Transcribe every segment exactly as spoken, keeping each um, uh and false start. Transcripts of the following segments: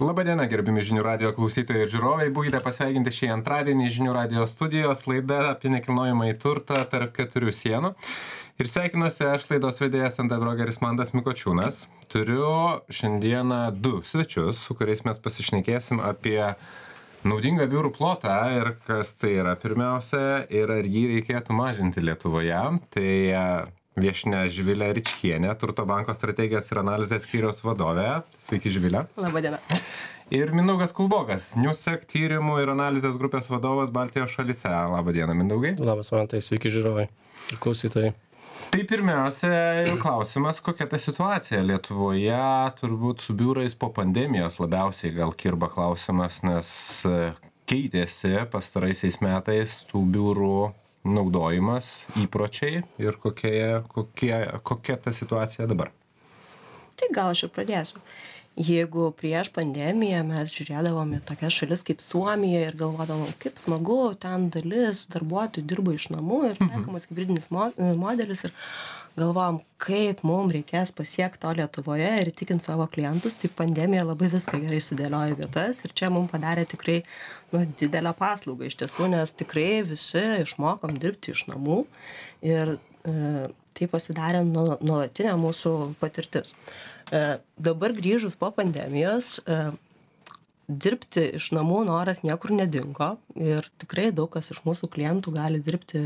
Labadiena, gerbimi žinių radijo klausytojai ir žiūrovai. Būkite pasveikinti šį antradienį žinių radijo studijos laida apie nekilnojamąjį turtą tarp keturių sienų. Ir sveikinuosi aš laidos vedėjas nt brokeris Mantas Mikočiūnas. Turiu šiandieną du svečius, su kuriais mes pasišnekėsim apie naudingą biurų plotą ir kas tai yra pirmiausia ir ar jį reikėtų mažinti Lietuvoje. Tai viešnia Živilė Ričkienė, Turto banko strategijos ir analizės skyriaus vadovė. Sveiki, Živilė. Labadiena. Ir Mindaugas Kulbokas, Newsec tyrimų ir analizės grupės vadovas Baltijos šalyse. Labadiena, Mindaugai. Labas, Mantai, sveiki žiūrovai ir klausytojai. Tai pirmiausia, klausimas, kokia ta situacija Lietuvoje, turbūt su biurais po pandemijos labiausiai gal kirba klausimas, nes keitėsi pastaraisiais metais tų biurų naudojimas, įpročiai ir kokie, kokie, kokia ta situacija dabar? Tai gal aš ir pradėsiu. Jeigu prieš pandemiją mes žiūrėdavom į tokias šalis kaip Suomija ir galvodavom, kaip smagu, ten dalis darbuotojų dirba iš namų ir taikomas hibridinis modelis ir galvojom, kaip mums reikės pasiekti to Lietuvoje ir įtikinti savo klientus, tai pandemija labai viską gerai sudėliojo vietas ir čia mums padarė tikrai nu, didelę paslaugą iš tiesų, nes tikrai visi išmokom dirbti iš namų ir e, tai pasidarė nuolatinė mūsų patirtis. E, dabar grįžus po pandemijos, e, dirbti iš namų noras niekur nedingo ir tikrai daug kas iš mūsų klientų gali dirbti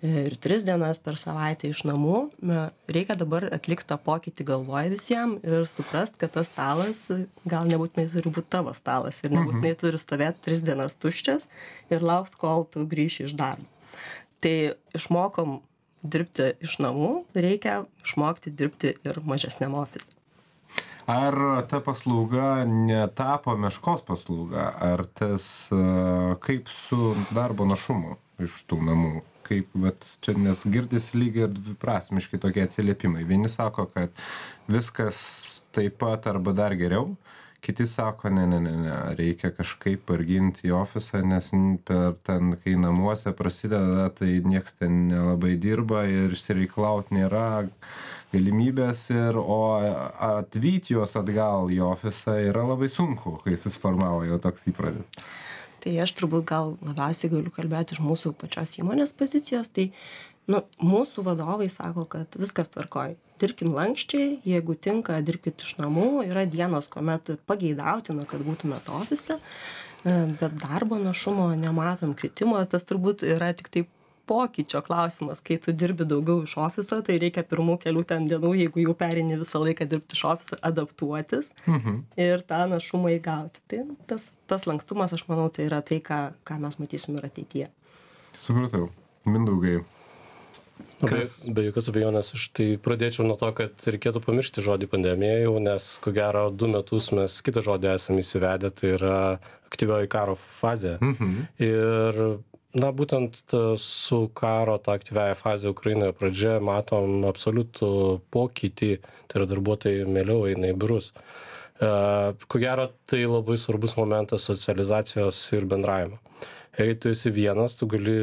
ir tris dienas per savaitę iš namų. Reikia dabar atlikti tą pokytį galvoj visiems ir suprast, kad tas stalas gal nebūtinai turi būti tavo stalas ir nebūtinai turi stovėti tris dienas tuščias ir laukti, kol tu grįši iš darbo. Tai išmokom dirbti iš namų, reikia išmokti dirbti ir mažesniam ofise. Ar ta paslauga netapo meškos paslauga? Ar tas kaip su darbo našumu iš tų namų? Kaip, bet čia nes girdis lygiai ir dviprasmiškai tokie atsiliepimai. Vieni sako, kad viskas taip pat arba dar geriau, kiti sako, ne, ne, ne, ne, reikia kažkaip parginti į ofisą, nes per ten, kai namuose prasideda, tai nieks ten nelabai dirba ir išsireiklaut nėra galimybės, ir, o atvyti juos atgal į ofisą yra labai sunku, kai susiformavo jau toks įprotis. Tai aš turbūt gal labiausiai galiu kalbėti iš mūsų pačios įmonės pozicijos, tai nu, mūsų vadovai sako, kad viskas tvarkoj. Dirbkim lankščiai, jeigu tinka, dirbkit iš namų, yra dienos, kuomet pageidautina, kad būtumėt ofise, bet darbo našumo nematom kritimo, tas turbūt yra tik taip pokyčio klausimas, kai tu dirbi daugiau iš ofiso, tai reikia pirmų kelių ten dienų, jeigu jau perini visą laiką dirbti iš ofiso, adaptuotis mhm. ir tą našumą įgauti. Tai tas, tas lankstumas, aš manau, tai yra tai, ką, ką mes matysim ir ateityje. Supratau. Mindaugai. Kas... Be, be jokios abejonės, aš tai pradėčiau nuo to, kad reikėtų pamiršti žodį pandemija jau, nes ko gero du metus mes kitą žodį esame įsivedę, tai yra aktyvioji karo fazė. Mhm. Ir na, būtent su karo ta aktyviaja fazė Ukrainoje pradžia matom absoliutų pokytį, tai yra darbuotojai mieliau eina į biurus. Ko gero, tai labai svarbus momentas socializacijos ir bendravimo. Jei tu esi vienas, tu gali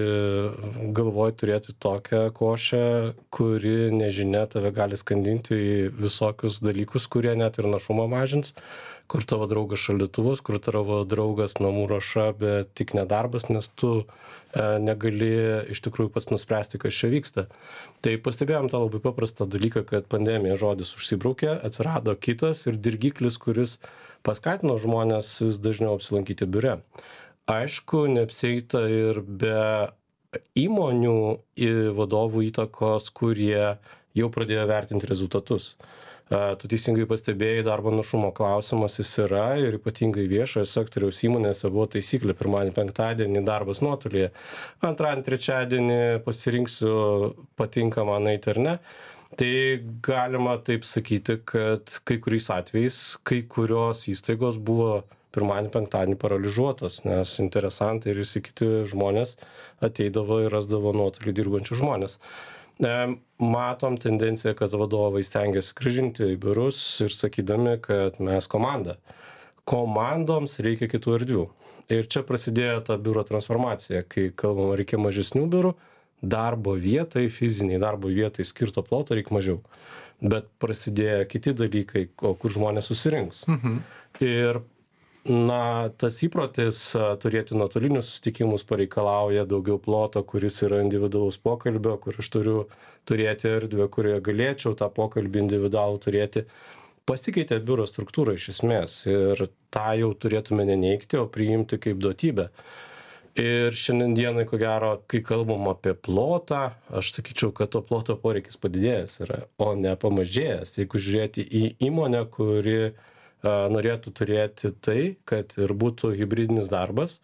galvoj turėti tokią košę, kuri nežinia tave gali skandinti į visokius dalykus, kurie net ir našumą mažins, kur tavo draugas šaldytuvas, kur tavo draugas namų ruoša, bet tik nedarbas, nes tu e, negali iš tikrųjų pats nuspręsti, kas čia vyksta. Tai pastebėjom tą labai paprastą dalyką, kad pandemija žodis užsibraukė, atsirado kitas ir dirgiklis, kuris paskatino žmonės vis dažniau apsilankyti biure. Aišku, neapsieita ir be įmonių vadovų įtakos, kurie jau pradėjo vertinti rezultatus. Tu teisingai pastebėjai, darbo našumo klausimas jis yra ir ypatingai viešojo sektoriaus įmonėse buvo taisyklė pirmadienį, penktadienį darbas nuotolyje. Antradienį, trečiadienį pasirinksiu patinkamą nueiti ar ne. Tai galima taip sakyti, kad kai kuriais atvejais, kai kurios įstaigos buvo pirmadienį, penktadienį paralyžiuotos, nes interesantai ir visi kiti žmonės ateidavo ir rasdavo nuotolį dirbančių žmonės. Matom tendenciją, kad vadovai stengiasi grįžinti į biurus ir sakydami, kad mes komanda. Komandoms reikia kitų erdvių. Ir čia prasidėjo ta biuro transformacija, kai kalbama reikia mažesnių biurų, darbo vietai, fiziniai darbo vietai skirto ploto reikia mažiau. Bet prasidėjo kiti dalykai, kur žmonės susirinks. Mhm. Ir Na, tas įprotis turėti nuotolinius susitikimus pareikalauja daugiau ploto, kuris yra individualaus pokalbio, kur aš turiu turėti erdvę, kurioje galėčiau tą pokalbį individualų turėti. Pasikeitė biuro struktūra iš esmės ir tą jau turėtume neneigti, o priimti kaip duotybę. Ir šiandien dienai, ko gero, kai kalbam apie plotą, aš sakyčiau, kad to ploto poreikis padidėjęs yra, o ne pamažėjęs. Jeigu žiūrėti į įmonę, kuri norėtų turėti tai, kad ir būtų hibridinis darbas,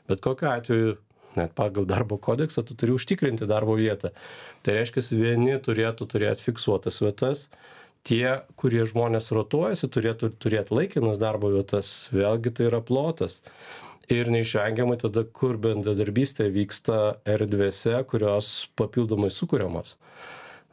bet kokiu atveju, net pagal darbo kodeksą, tu turi užtikrinti darbo vietą. Tai reiškia, vieni turėtų turėti fiksuotas vietas, tie, kurie žmonės rotuojasi, turėtų turėti laikinas darbo vietas, vėlgi tai yra plotas. Ir neišvengiamai tada, kur bendradarbystė vyksta erdvėse, kurios papildomai sukuriamos.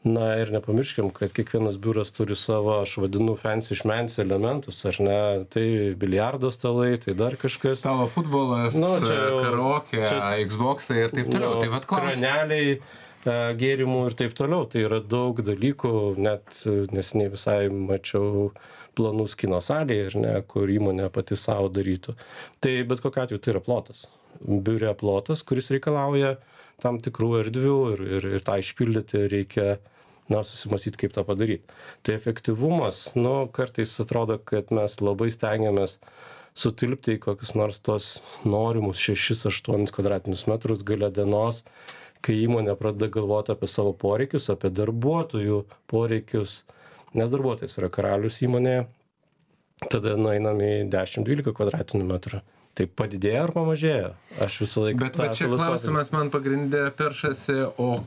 Na ir nepamirškim, kad kiekvienas biuras turi savo, aš vadinu, fancy šmency elementus, ar ne, tai biliardo stalai, tai dar kažkas. Tavo futbolas, nu, karaoke, Xbox'ai ir taip toliau. Nu, tai vat klaus... Kraneliai, gėrimų ir taip toliau. Tai yra daug dalykų, net neseniai visai mačiau planus kino salėje, ir ne, kur įmonė pati savo darytų. Tai bet kokiu atveju tai yra plotas. Biure plotas, kuris reikalauja tam tikrų erdvių ir, ir, ir tą išpildyti reikia, na, susimąstyti, kaip tą padaryti. Tai efektyvumas, nu, kartais atrodo, kad mes labai stengiamės sutilpti į kokius nors tos norimus šešis aštuonis kvadratinius metrus gale dienos, kai įmonė pradeda galvoti apie savo poreikius, apie darbuotojų poreikius, nes darbuotojas yra karalius įmonėje, tada nueinam į dešimt dvylika kvadratinių metrų. Tai padidėja ar pamažėja? Aš visą laiką... Bet va čia klausimas man pagrindė peršasi, o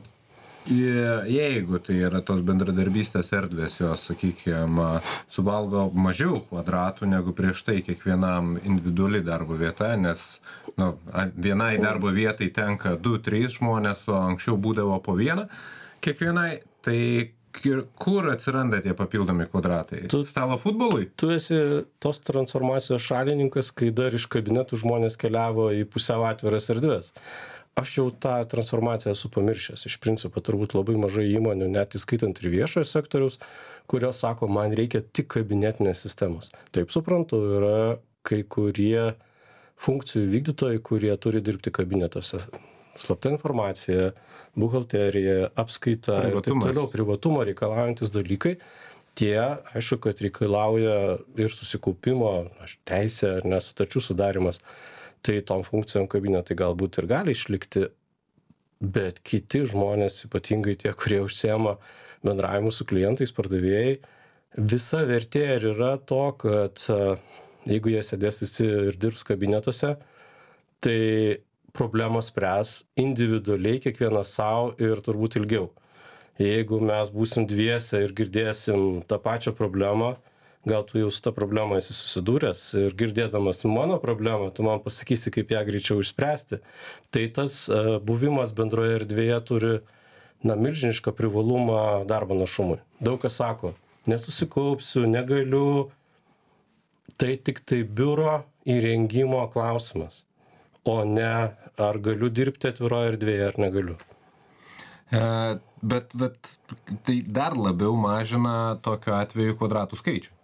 jeigu tai yra tos bendradarbystės erdvės, jos, sakykime, suvalgo mažiau kvadratų negu prieš tai kiekvienam individuali darbo vieta, nes nu, vienai darbo vietai tenka du trys žmonės, o anksčiau būdavo po vieną kiekvienai, tai kur atsiranda tie papildomi kvadratai? Tu, stalo futbolui? Tu esi tos transformacijos šalininkas, kai dar iš kabinetų žmonės keliavo į pusiau atviras erdves. Aš jau tą transformaciją esu pamiršęs. Iš principo turbūt labai mažai įmonių, net įskaitant ir viešojo sektoriaus, kurios sako, man reikia tik kabinetinės sistemos. Taip suprantu, yra kai kurie funkcijų vykdytojai, kurie turi dirbti kabinetuose. Slapta informacija, buhalterija, apskaita ir taip toliau, privatumo reikalaujantis dalykai. Tie, aišku, kad reikalauja ir susikaupimo, teisė ar nesutarčių sudarimas. Tai tom funkcijom kabinetai galbūt ir gali išlikti, bet kiti žmonės, ypatingai tie, kurie užsiema bendravimu su klientais, pardavėjai, visa vertė ir yra to, kad jeigu jie sėdės visi ir dirbs kabinetuose, tai problemas spręs individualiai kiekvienas savo ir turbūt ilgiau. Jeigu mes būsim dviese ir girdėsim tą pačią problemą, gal tu jau su tą problemą esi susidūręs ir girdėdamas mano problemą, tu man pasakysi, kaip ją greičiau išspręsti. Tai tas buvimas bendroje erdvėje turi na, milžinišką privalumą darbo našumui. Daug kas sako, nesusikaupsiu, negaliu, tai tik tai biuro įrengimo klausimas, o ne ar galiu dirbti atviroje erdvėje ar negaliu. E, bet, bet tai dar labiau mažina tokiu atveju kvadratų skaičių.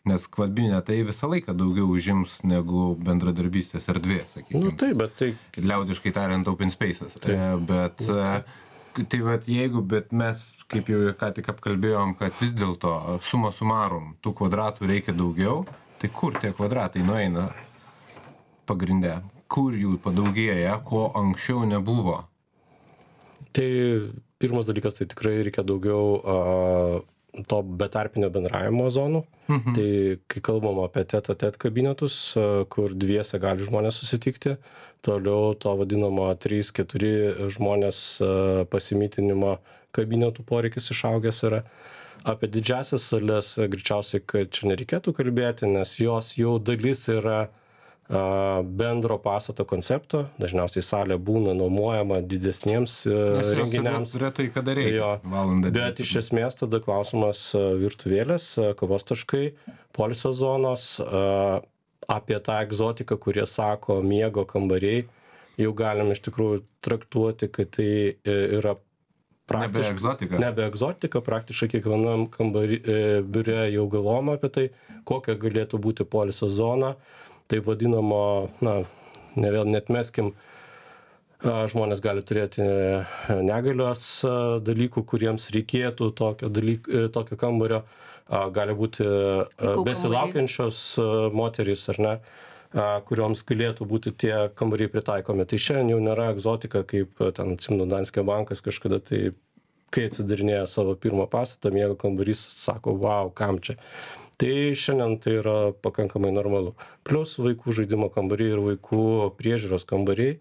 Nes kabinetai visą laiką daugiau užims negu bendradarbystės erdvė, sakykime. Nu, taip, bet tai... Liaudiškai tariant, open spaces. E, bet, e, tai vat jeigu, bet mes, kaip jau ką tik apkalbėjom, kad vis dėlto suma sumarum, tų kvadratų reikia daugiau, tai kur tie kvadratai nueina pagrinde? Kur jų padaugėja, ko anksčiau nebuvo? Tai pirmas dalykas, tai tikrai reikia daugiau... A, to betarpinio bendravimo zonų. Mhm. Tai kai kalbam apie tet-a-tet kabinetus, kur dviese gali žmonės susitikti, toliau to vadinamo trys keturi žmonės pasimytinimo kabinetų poreikis išaugęs yra. Apie didžiasias sales greičiausiai, kad čia nereikėtų kalbėti, nes jos jau dalis yra bendro pastato koncepto, dažniausiai salė būna nuomojama didesniems renginiams. Retai kada reikia. Jo, bet iš esmės tada klausimas virtuvėlės, kavos taškai, poilsio zonos, apie tą egzotiką, kurie sako miego kambariai, jau galim iš tikrųjų traktuoti, kad tai yra Nebe egzotika. Nebe egzotika, praktiškai kiekvienam kambari, biure jau galvojama apie tai, kokia galėtų būti poilsio zona. tai vadinamo, na, ne vėl netmeskim, žmonės gali turėti negalios dalykų, kuriems reikėtų tokio, dalyk, tokio kambario, gali būti besilaukiančios moterys ar ne, kurioms galėtų būti tie kambariai pritaikomi. Tai šiandien jau nėra egzotika, kaip ten atsimenu Danske bankas kažkada, tai kai atsidarinėjo savo pirmą pastatą, miego kambarys, sako, wow, kam čia. Tai šiandien tai yra pakankamai normalu. Plius vaikų žaidimo kambariai ir vaikų priežiūros kambariai,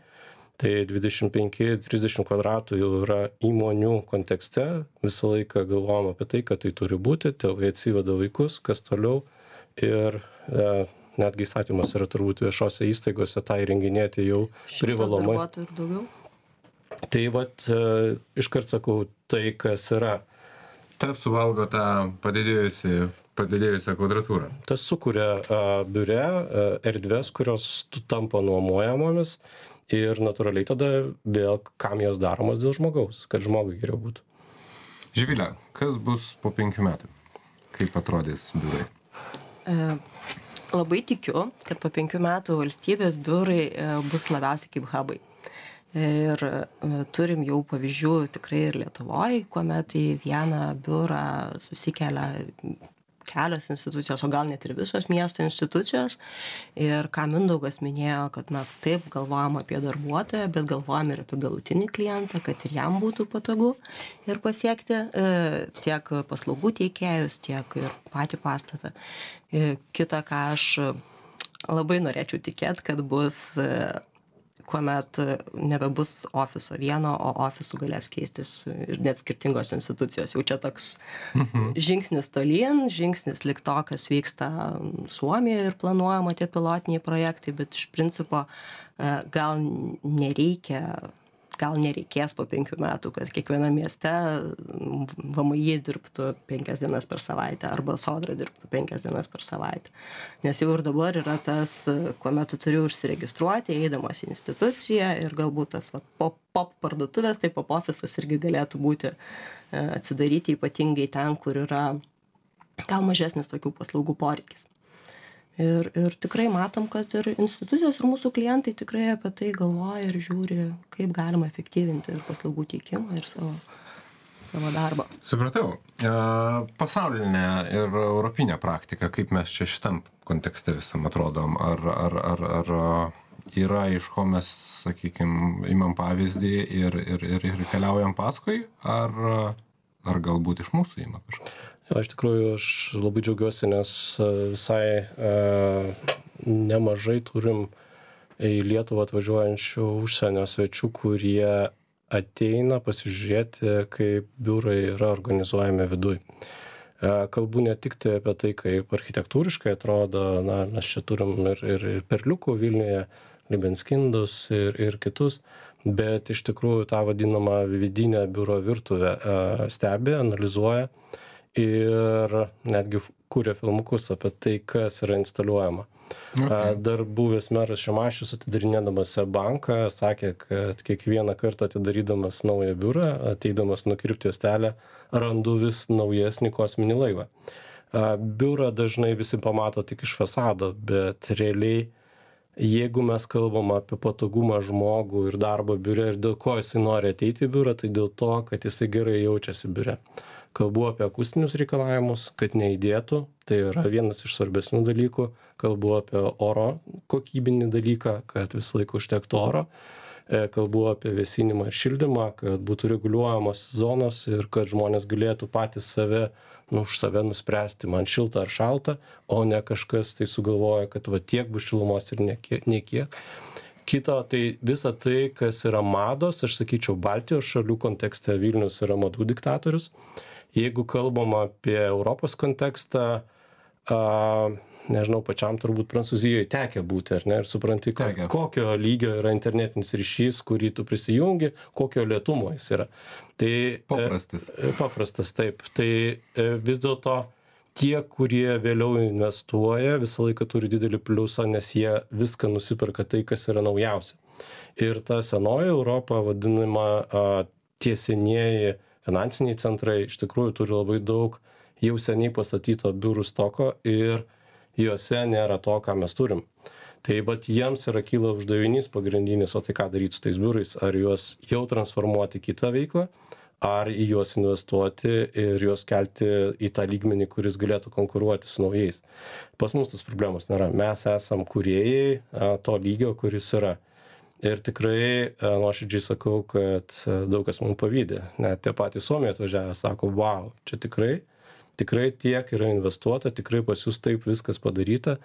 tai dvidešimt penki trisdešimt kvadratų jau yra įmonių kontekste, visą laiką galvojam apie tai, kad tai turi būti, tėvai atsiveda vaikus, kas toliau ir e, netgi įstatymas yra turbūt viešose įstaigose tą įrenginėti jau privalomai. Šimtas darbuotojų ir daugiau? Tai vat, e, iškart sakau, tai kas yra. Tas suvalgo tą padidėjusi, padidėjusią kvadratūrą. Tas sukuria a, biure a, erdvės, kurios tampa nuomojamomis ir natūraliai tada vėl kam jos daromos dėl žmogaus, kad žmogui geriau būtų. Živilė, kas bus po penkių metų? Kaip atrodys biurai? E, labai tikiu, kad po penkių metų valstybės biurai e, bus labiausiai kaip hubai. Ir turim jau pavyzdžių tikrai ir Lietuvoje, kuomet į vieną biurą susikelia kelios institucijos, o gal net ir visos miesto institucijos. Ir ką Mindaugas minėjo, kad mes taip galvojam apie darbuotoją, bet galvojam ir apie galutinį klientą, kad ir jam būtų patogu ir pasiekti tiek paslaugų teikėjus, tiek ir patį pastatą. Kita, ką aš labai norėčiau tikėti, kad bus kuomet nebebus ofiso vieno, o ofisų galės keistis ir net skirtingos institucijos. Jau čia toks mhm. žingsnis tolyn, žingsnis lik to, kas vyksta Suomijoje ir planuojama tie pilotiniai projektai, bet iš principo gal nereikia, gal nereikės po penkių metų, kad kiekviena mieste V M I dirbtų penkias dienas per savaitę arba Sodra dirbtų penkias dienas per savaitę. Nes jau ir dabar yra tas, kuomet tu turi užsiregistruoti, eidamas į instituciją ir galbūt tas va, pop, pop parduotuvės, tai pop ofisas irgi galėtų būti atsidaryti ypatingai ten, kur yra gal mažesnis tokių paslaugų poreikis. Ir, ir tikrai matom, kad ir institucijos, ir mūsų klientai tikrai apie tai galvoja ir žiūri, kaip galima efektyvinti ir paslaugų teikimą, ir savo, savo darbą. Supratau. E, pasaulinė ir europinė praktika, kaip mes čia šitam kontekste visam atrodom, ar, ar, ar, ar yra iš ko mes, sakykime, imam pavyzdį ir, ir, ir, ir keliaujam paskui, ar, ar galbūt iš mūsų ima kažką? Jo, iš tikrųjų, aš labai džiaugiuosi, nes visai e, nemažai turim į Lietuvą atvažiuojančių užsienio svečių, kurie ateina pasižiūrėti, kaip biurai yra organizuojami viduj. E, kalbu ne tik tai apie tai, kaip architektūriškai atrodo, na, mes čia turim ir, ir, ir Perliukų Vilniuje, Libenskindus ir, ir kitus, bet iš tikrųjų tą vadinamą vidinę biuro virtuvę e, stebi, analizuoja ir netgi kūrė filmukus apie tai, kas yra instaliuojama. Okay. Dar buvęs meras Šimašius atidarinėdamas banką sakė, kad kiekvieną kartą atidarydamas naują biurą, ateidamas nukirpti juostelę, randu vis naujesnį kosminį laivą. Biurą dažnai visi pamato tik iš fasado, bet realiai, jeigu mes kalbam apie patogumą žmogų ir darbą biure ir dėl ko jisai nori ateiti į biurą, tai dėl to, kad jisai gerai jaučiasi biure. Kalbu apie akustinius reikalavimus, kad neįdėtų, tai yra vienas iš svarbesnių dalykų. Kalbu apie oro kokybinį dalyką, kad visą laiką užtektų oro. Kalbu apie vėsinimą ir šildymą, kad būtų reguliuojamos zonos ir kad žmonės galėtų patys save, nu, už save nuspręsti, man šilta ar šalta, o ne kažkas tai sugalvoja, kad va tiek bus šilumos ir niekiek. Kita, tai visa tai, kas yra mados, aš sakyčiau, Baltijos šalių kontekste Vilnius yra madų diktatorius. Jeigu kalbam apie Europos kontekstą, a, nežinau, pačiam turbūt Prancūzijoje tekia būti, ar ne, ir supranti, Tekia. kokio lygio yra internetinis ryšys, kurį tu prisijungi, kokio lėtumo jis yra. Tai, paprastas. E, paprastas, taip. Tai e, vis dėlto tie, kurie vėliau investuoja, visą laiką turi didelį pliusą, nes jie viską nusiperka tai, kas yra naujausia. Ir ta senoji Europa, vadinama a, tie senieji finansiniai centrai, iš tikrųjų turi labai daug jau seniai pastatyto biurų stoko ir juose nėra to, ką mes turim. Tai vat jiems yra kyla uždavinys pagrindinis, o tai ką daryti su tais biurais, ar juos jau transformuoti į kitą veiklą, ar į juos investuoti ir juos kelti į tą lygmenį, kuris galėtų konkuruoti su naujais. Pas mus tas problemos nėra. Mes esam kūrėjai to lygio, kuris yra. Ir tikrai nuoširdžiai sakau, kad daug kas mums pavydė. Net tie patys Suomiai atvažiavę sako, wow, čia tikrai, tikrai tiek yra investuota, tikrai pas jūs taip viskas padaryta.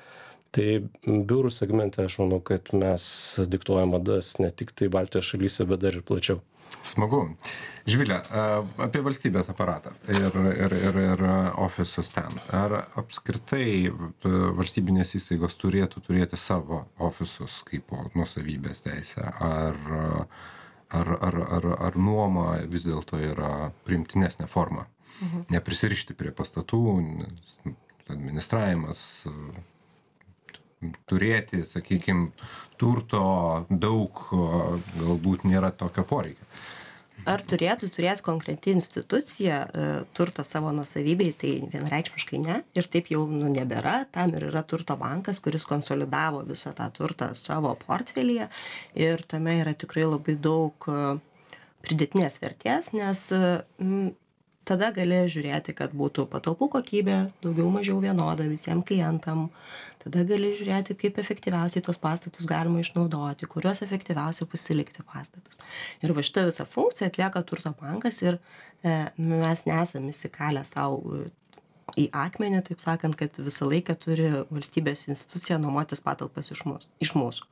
Tai biurų segmente aš manau, kad mes diktuojam madas ne tik tai Baltijos šalyse, bet dar ir plačiau. Smagu. Živilė, apie valstybės aparatą ir, ir, ir, ir ofisus ten. Ar apskritai valstybinės įstaigos turėtų turėti savo ofisus kaip nuosavybės teisę? Ar, ar, ar, ar, ar nuoma vis dėlto yra priimtinesnė forma? Mhm. Neprisirišti prie pastatų, administravimas, turėti, sakykime, turto daug, galbūt nėra tokio poreikio. Ar turėtų turėti konkreti institucija turtą savo nuosavybei, tai vienareikšmiškai ne. Ir taip jau nu, nebėra. Tam ir yra turto bankas, kuris konsolidavo visą tą turtą savo portfelyje. Ir tame yra tikrai labai daug pridėtinės vertės, nes m, tada gali žiūrėti, kad būtų patalpų kokybė daugiau mažiau vienoda visiems klientam. Tada gali žiūrėti, kaip efektyviausiai tos pastatus galima išnaudoti, kuriuos efektyviausiai pasilikti pastatus. Ir va šitą visą funkciją atlieka turto bankas ir e, mes nesam įsikalę savo į akmenį, taip sakant, kad visą laiką turi valstybės institucija nuomotis patalpas iš mūsų. Iš mūsų.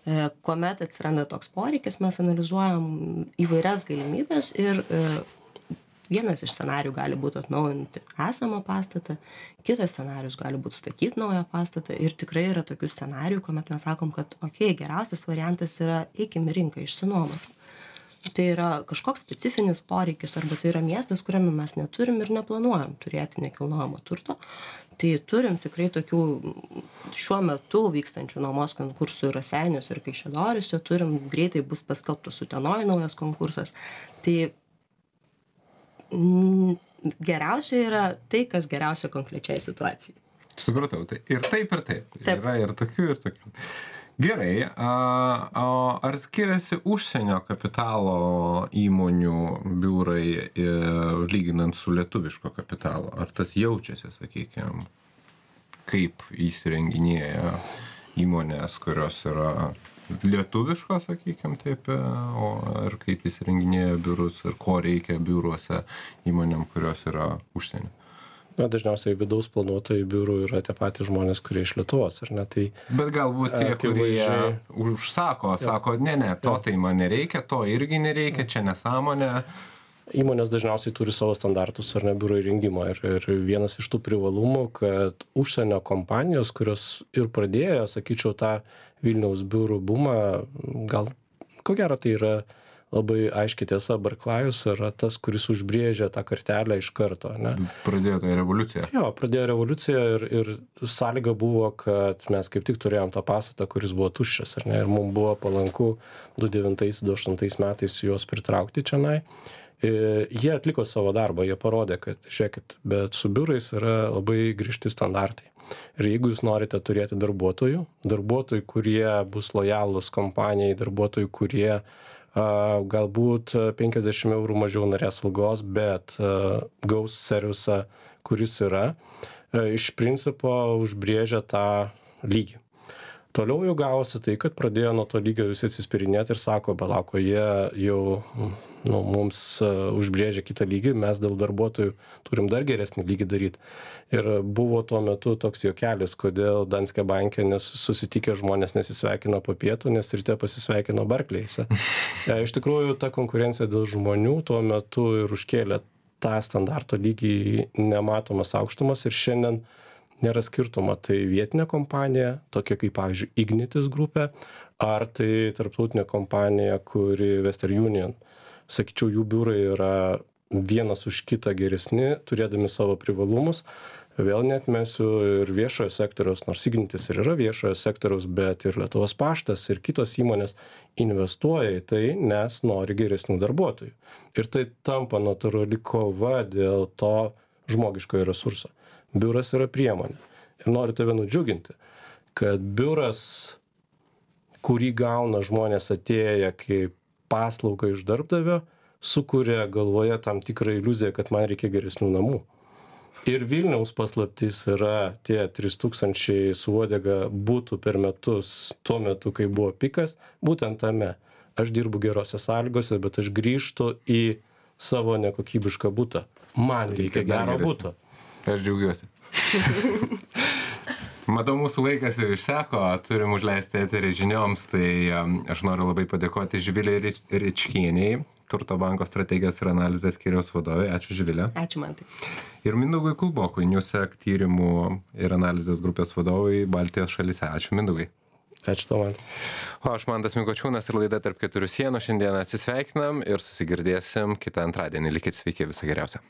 E, kuomet atsiranda toks poreikis, mes analizuojam įvairias galimybės ir e, vienas iš scenarijų gali būti atnaujinti esamą pastatą, kitas scenarijus gali būti statyti naują pastatą ir tikrai yra tokių scenarijų, kuomet mes sakom, kad okei, okay, geriausias variantas yra eikim į rinką, išsinuomoti. Tai yra kažkoks specifinis poreikis arba tai yra miestas, kuriame mes neturim ir neplanuojam turėti nekilnojamo turto. Tai turim tikrai tokių šiuo metu vykstančių nuomos konkursų Raseiniuose ir Kaišiadoryse, turim greitai bus paskelbtas Utenoj naujas konkursas. Tai geriausia yra tai, kas geriausia konkrečiai situacijai. Supratau, tai ir taip, ir taip. Taip. Yra ir tokių, ir tokių. Gerai, a, a, ar skiriasi užsienio kapitalo įmonių biurai e, lyginant su lietuviško kapitalo? Ar tas jaučiasi, sakykime, kaip įsirenginėja įmonės, kurios yra lietuviško, sakykime, taip, o ir kaip įsirenginėja biurus ir ko reikia biuruose įmonėm, kurios yra užsienio? Na, dažniausiai vidaus planuotojai biurų yra tie patys žmonės, kurie iš Lietuvos, ar ne? Tai, bet galbūt tie, kurie užsako, sako, ne, ne, to tai man nereikia, to irgi nereikia, čia nesąmonė. Įmonės dažniausiai turi savo standartus ar ne biuro įrengimo ir, ir vienas iš tų privalumų, kad užsienio kompanijos, kurios ir pradėjo, sakyčiau, tą Vilniaus biurų bumą, gal ko gero tai yra labai aiškiai tiesa, Barklajus yra tas, kuris užbrėžė tą kartelę iš karto. Ne? Pradėjo tą revoliuciją. Jo, pradėjo revoliuciją ir, ir sąlyga buvo, kad mes kaip tik turėjom tą pastatą, kuris buvo tuščias. Ar ne? Ir mums buvo palanku du devintais du aštuntais metais juos pritraukti čionai. Jie atliko savo darbą, jie parodė, kad, žiūrėkit, bet su biurais yra labai griežti standartai. Ir jeigu jūs norite turėti darbuotojų, darbuotojų, kurie bus lojalūs kompanijai, darbuotojų, kurie a, galbūt penkiasdešimt eurų mažiau norės algos, bet a, gaus servisą, kuris yra, a, iš principo užbrėžia tą lygį. Toliau jau gavosi tai, kad pradėjo nuo to lygio visi atsispirinėti ir sako, belauko, jie jau nu, mums uh, užbrėžė kitą lygį, mes dėl darbuotojų turim dar geresnį lygį daryti. Ir buvo tuo metu toks juokelis, kodėl Danske banke nesusitikę žmonės nesisveikino po pietų, nes ryte pasisveikino Barclayse. e, iš tikrųjų, ta konkurencija dėl žmonių tuo metu ir užkėlė tą standarto lygį nematomas aukštumas ir šiandien nėra skirtumo, tai vietinė kompanija, tokia kaip, pavyzdžiui, Ignitis grupė, ar tai tarptautinė kompanija, kuri Western Union. Sakyčiau, jų biurai yra vienas už kitą geresni, turėdami savo privalumus. Vėl neatmesiu ir viešojo sektoriaus, nors Ignitis ir yra viešojo sektoriaus, bet ir Lietuvos paštas ir kitos įmonės investuoja į tai, nes nori geresnių darbuotojų. Ir tai tampa natūrali kova dėl to žmogiškojo resurso. Biuras yra priemonė. Ir noriu tave nudžiuginti, kad biuras kurį gauna žmonės atėję kaip paslaugą iš darbdavio, sukuria galvoje tam tikrą iliuziją, kad man reikia geresnių namų. Ir Vilniaus paslaptis yra tie trys tūkstančiai su uodega butų per metus, tuo metu, kai buvo pikas, būtent tame. Aš dirbu gerose sąlygose, bet aš grįžtu į savo nekokybišką butą. Man reikia gero buto. Aš džiaugiuosi. Matau, mūsų laikas jau išseko, turim užleisti eterį žinioms, tai aš noriu labai padėkoti Živilei Ričkienei, Turto banko strategijos ir analizės skyriaus vadovai. Ačiū, Živilė. Ačiū, Mantai. Ir Mindaugui Kulbokui, Newsec tyrimų ir analizės grupės vadovai Baltijos šalyse. Ačiū, Mindaugai. Ačiū tau, man. O aš Mantas Mikočiūnas ir laida Tarp keturių sienų. Šiandien atsisveikinam ir susigirdėsim kitą antradienį. Likit sveiki, viso geriausio.